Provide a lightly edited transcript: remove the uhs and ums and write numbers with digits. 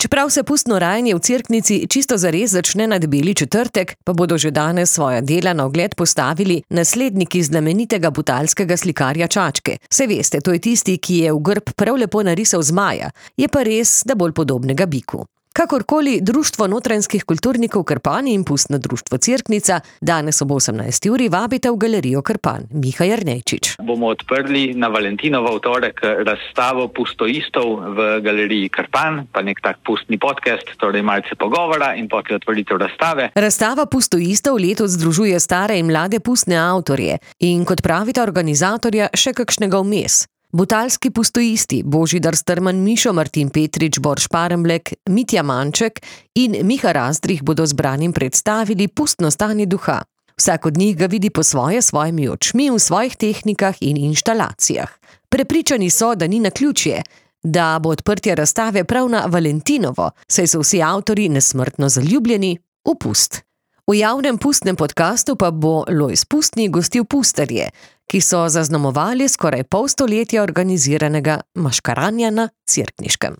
Čeprav se pustno rajanje v Cerknici čisto zares začne na Debeli četrtek, pa bodo že danes svoja dela na ogled postavili nasledniki znamenitega butalskega slikarja Čačke. Saj veste, to je tisti, ki je v grb prav lepo narisal zmaja, je pa res, da bolj podobnega biku. Kakorkoli, Društvo notranjskih kulturnikov Krpani in Pustno društvo Cerknica danes ob 18. uri vabite v galerijo Krpan. Miha Jernejčič. Bomo odprli na Valentinovo v torek razstavo pustoistov v galeriji Krpan, pa nek tak pustni podcast, torej malce pogovora in potem otvoritev razstave. Razstava pustoistov letos združuje stare in mlade pustne avtorje in, kot pravita organizatorja, še kakšnega vmes. Butalski pustoisti Božidar Strman, Mišo, Martin Petrič, Borš Paremblek, Mitja Manček in Miha Razdrih bodo zbranim predstavili pustno stanje duha. Vsak od njih ga vidi po svojimi očmi, v svojih tehnikah in inštalacijah. Prepričani so, da ni naključje, da bo odprtje razstave prav na Valentinovo, saj so vsi avtorji nesmrtno zaljubljeni v pust. V javnem pustnem podkastu pa bo Lojz Pustni gostil pustarje, ki so zaznamovali skoraj pol stoletja organiziranega maškaranja na Cerkniškem.